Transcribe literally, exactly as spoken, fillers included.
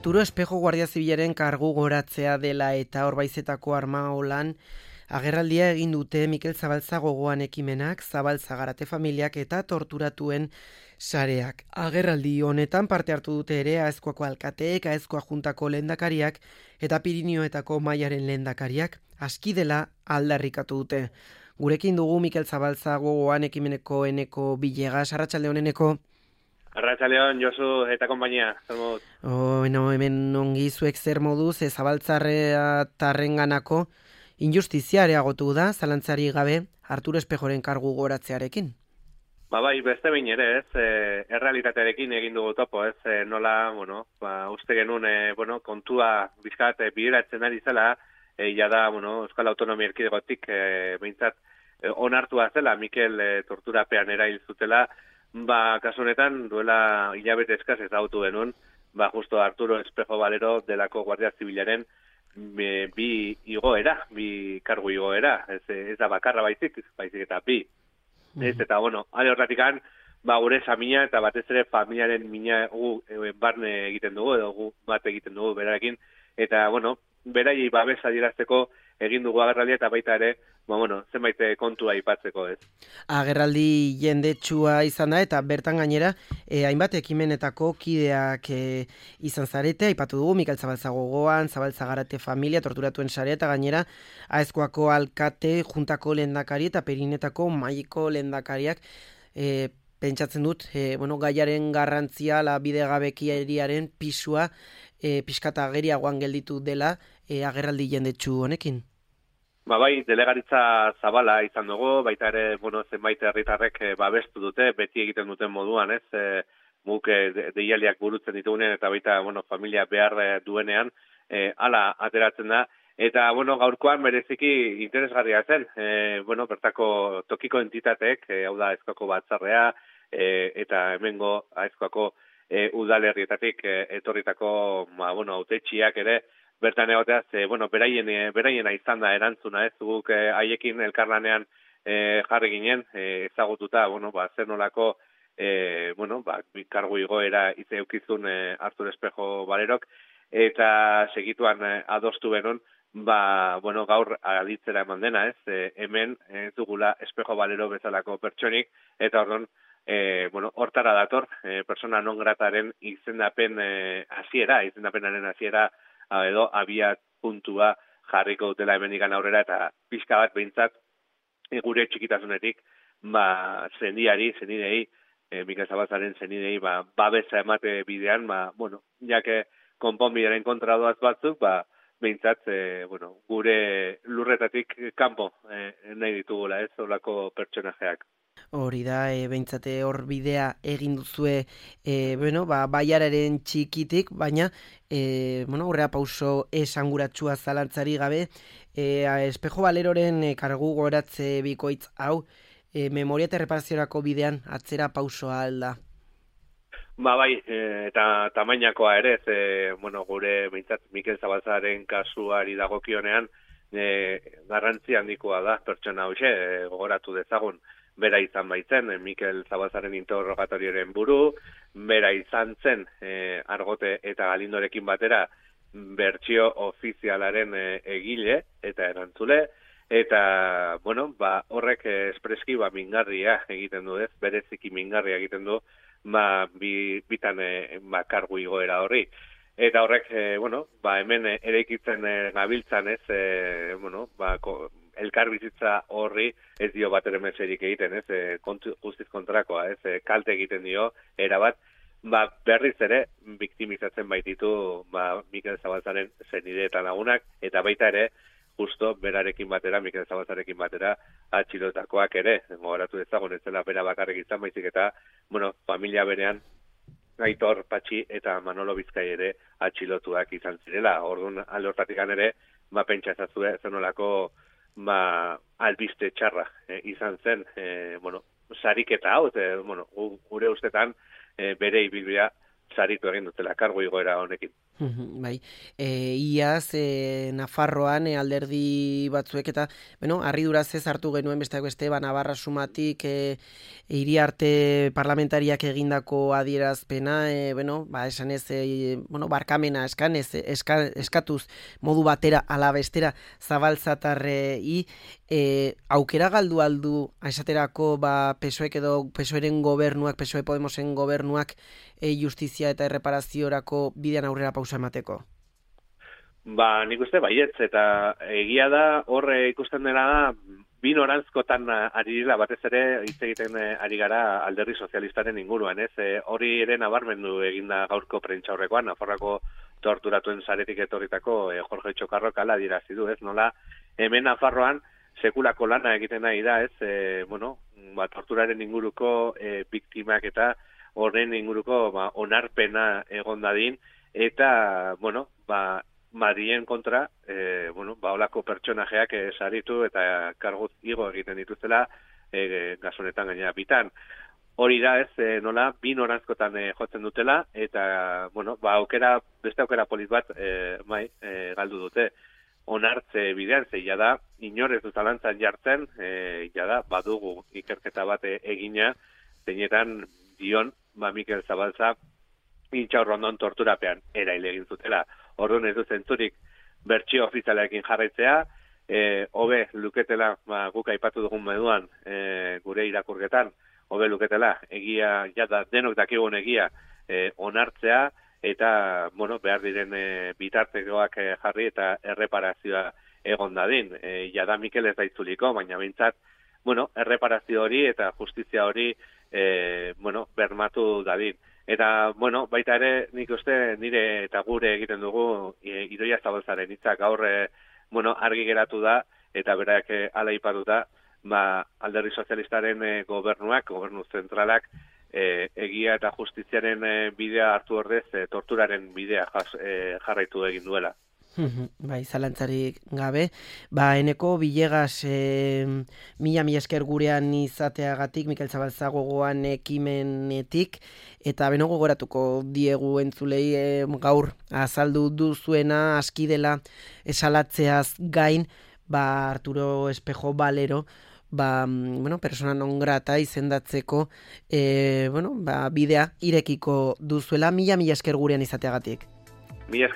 Arturo Espejo Guardia Zibilaren kargu goratzea dela eta Orbaizetako Armaolan agerraldia egin dute Mikel Zabalza gogoan ekimenak, Zabalza Garate familiak eta torturatuen sareak. Agerraldi honetan parte hartu dute ere Aezkoako alkateek, Aezkoa juntako lehendakariak eta Pirinioetako mailaren lehendakariak, aski dela aldarrikatu dute. Gurekin dugu Mikel Zabalza gogoan ekimeneko Eneko Villegas, arratsalde on Eneko. Arratsaldeon, Josu eta konpainia, zer moduz? Oh, no, hemen ongi zuek zer moduz, e, Zabaltzarrea tarrenganako injustizia areagotu da, zalantzari gabe, Arturo Espejoren kargu goratzearekin. Ba bai, beste behin ere, ez, e, errealitatearekin egin dugu topo, ez, e, nola, bueno, ba, uste genuen, e, bueno, kontua bizkat e, bideratzen ari zela, e, jada, bueno, Euskal Autonomia Erkidegotik, e, behintzat, e, onartua zela, Mikel e, torturapean erail zutela, ba, kasu honetan, duela hilabete eskaz ezagutu genuen, ba, justo Arturo Espejo Valero delako Guardia Zibilaren bi, bi igoera, bi kargu igoera, ez, ez da bakarra baizik, baizik eta bi. Mm. Ez, eta, bueno, ale horratikan, ba, gure samina eta batez ere familiaren mina gu e, barne egiten dugu, edo gu bat egiten dugu berarekin, eta, bueno, berai babesa adierazteko egin dugu agerraldia eta baita ere, ba, bueno, zenbait kontua aipatzeko, ez. Agerraldi jendetsua izan da eta bertan gainera eh, hainbat ekimenetako kideak eh, izan zarete, aipatu dugu Mikel Zabalza gogoan, Zabalza Garate familia, torturatuen sarea eta gainera Aezkoako alkate, juntako lehendakari eta Pirinetako maileko lehendakariak eh, pentsatzen dut, eh, bueno, gaiaren garrantzia, la bidegabekieriaren pisua eh, pixkata ageriagoan gelditu dela eh, agerraldi jendetsu honekin. Ba bai, delegaritza zabala izan dugu, baita ere, bueno, zenbait herritarrek e, babestu dute, beti egiten duten moduan, ez, e, guk e, deialdiak burutzen ditugunean, eta baita, bueno, familia behar e, duenean, e, ala ateratzen da, eta, bueno, gaurkoan bereziki interesgarria zen, e, bueno, bertako tokiko entitateek, e, hau da, Aezkoako batzarrea, e, eta hemengo Aezkoako e, udalerrietatik e, etorritako, ma, bueno, autetxiak ere, bertan egoteaz, e, bueno, beraien, e, beraiena izan da erantzuna, ez, guk e, haiekin elkarlanean e, jarri ginen, e, ezagututa, bueno, ba, zer nolako, e, bueno, ba, kargu igoera izeukizun e, Arturo Espejo Valerok, eta segituan e, adostu benon, ba, bueno, gaur aditzera eman dena, ez, e, hemen ez dugula Espejo Valero bezalako pertsonik, eta ordon, e, bueno, hortara dator, e, persona non grataren izendapen e, hasiera, izendapenaren hasiera, edo abia puntua jarriko dutela hemendikan aurrera eta pixka bat behintzat e, gure txikitasunetik ba sendiari, senidei, e, Mikel Zabalzaren senidei ba babesa emate bidean, ba bueno, jake konponbidearen kontra doaz batzuk, ba behintzat e, bueno, gure lurretatik kanpo e, nahi ditugula, ez, horlako pertsonajeak. Hori da, e, behintzate hor bidea egin duzue, e, bueno, ba, baiararen txikitik, baina, e, bueno, horrea pauso esanguratsua zalantzari gabe, e, Espejo Valeroren e, kargu goratze bikoitz hau, e, memoria eta reparaziorako bidean atzera pausoa alda. Ba bai, e, eta tamainakoa ere, ez, e, bueno, gure behintzat Mikel Zabalzaren kasuari dagokionean, e, garrantzi handikoa da pertsona hoxe, e, gogoratu dezagun. Bera izan baitzen, Mikel Zabalzaren interrogatorioren buru, bera izan zen e, Argote eta Galindorekin batera bertsio ofizialaren e, egile eta erantzule, eta, bueno, ba, horrek espreski ba, mingarria egiten du, ez, bereziki mingarria egiten du, ba, bi, bitan e, ba, kargu igoera horri. Eta horrek, e, bueno, ba, hemen eraikitzen e, gabiltzan, ez, e, bueno, ba, ko, elkar bizitza horri ez dio bat ere meserik egiten, ez, e, kontu, guztiz kontrakoa, ez, e, kalte egiten dio, erabat, ba, berriz ere, biktimizatzen baititu, ba, Mikel Zabalzaren zenide eta lagunak, eta baita ere, justo berarekin batera, Mikel Zabalzarekin batera, atxilotakoak ere, gogoratu dezagun, ez zela bera bakarrik izan baizik eta, bueno, familia berean, Aitor, Patxi eta Manolo Bizkai ere atxilotuak izan zirela. Orduan, alde hortatikan ere, ba, pentsa ezazue, zenolako, ba, albiste txarra e, izan zen, e, bueno, sariketa hau, e, bueno, gure ustetan e, bere ibilbidea saritu egin dutela kargu igoera honekin. Bai, e, iaz e, Nafarroan e, alderdi batzuek eta, bueno, harriduraz ez hartu genuen besteak beste, ba, Navarra sumatik e, Iriarte parlamentariak egindako adierazpena, e, bueno, ba, esan ez, e, bueno, barkamena eskan, ez, eska, eskatuz modu batera ala bestera zabaltzatarrei, e, aukera galdu aldu, esaterako, ba, P S O E edo P S O Eren gobernuak, P S O E Podemosen gobernuak, e, justizia eta erreparaziorako bidean aurrera pausa emateko? Ba, nik uste baietz, eta egia da, horre ikusten dena da, bi norantzkotan ari dira, batez ere hitz egiten ari gara alderdi sozialistaren inguruan, ez? E, hori ere nabarmendu eginda gaurko prentsaurrekoan, Nafarroako torturatuen saretik etorritako e, Jorge Txokarrok hala adierazi du, ez? Nola, hemen Nafarroan sekulako lana egiten nahi da, ez? E, bueno, ba, torturaren inguruko e, biktimak eta horren inguruko ba, onarpena egon dadin, eta, bueno, ba, Madrien kontra, e, bueno, ba, olako pertsonajeak e, saritu eta karguz igo egiten dituzela e, gazonetan gainera bitan. Hori da ez, e, nola, bi norantzkotan e, jotzen dutela, eta, bueno, ba, aukera, beste aukera polit bat, e, bai, e, galdu dute. Onartze bidean, ze jada, inorez dut alantzan jartzen, e, jada, badugu ikerketa bat e, egina, zeinetan dion, ba, Mikel Zabalza, intxaurrondon torturapean eraile egin zutela. Orduan ez du zentzurik bertsio ofizialekin jarraitzea, e, hobe luketela, ba, guk aipatu dugun moduan e, gure irakurketan, hobe luketela, egia, jada, denok dakigun egia e, onartzea, eta, bueno, behar diren e, bitartekoak e, jarri eta erreparazioa egon dadin. E, jada Mikel ez da itzuliko, baina bintzat, bueno, erreparazio hori eta justizia hori e, bueno, bermatu dadin. Eta, bueno, baita ere, nik uste nire eta gure egiten dugu e, Idoia Zabalzaren hitzak gaur, e, bueno, argi geratu da, eta berak e, ala ipatuta, ba, alderdi sozialistaren e, gobernuak, gobernu zentralak, e, egia eta justiziaren e, bidea hartu ordez, e, torturaren bidea jas, e, jarraitu egin duela. Bai, zalantzarik gabe. Ba, eneko Villegas e, mila mila esker gurean izateagatik, Mikel Zabalza gogoan ekimenetik, eta beno gogoratuko diegu entzulei e, gaur azaldu duzuena aski dela esalatzeaz gain, ba, Arturo Espejo Valero, ba, bueno, persona non grata izendatzeko e, bueno, ba, bidea irekiko duzuela. Mila mila esker gurean izateagatik. Mila esker.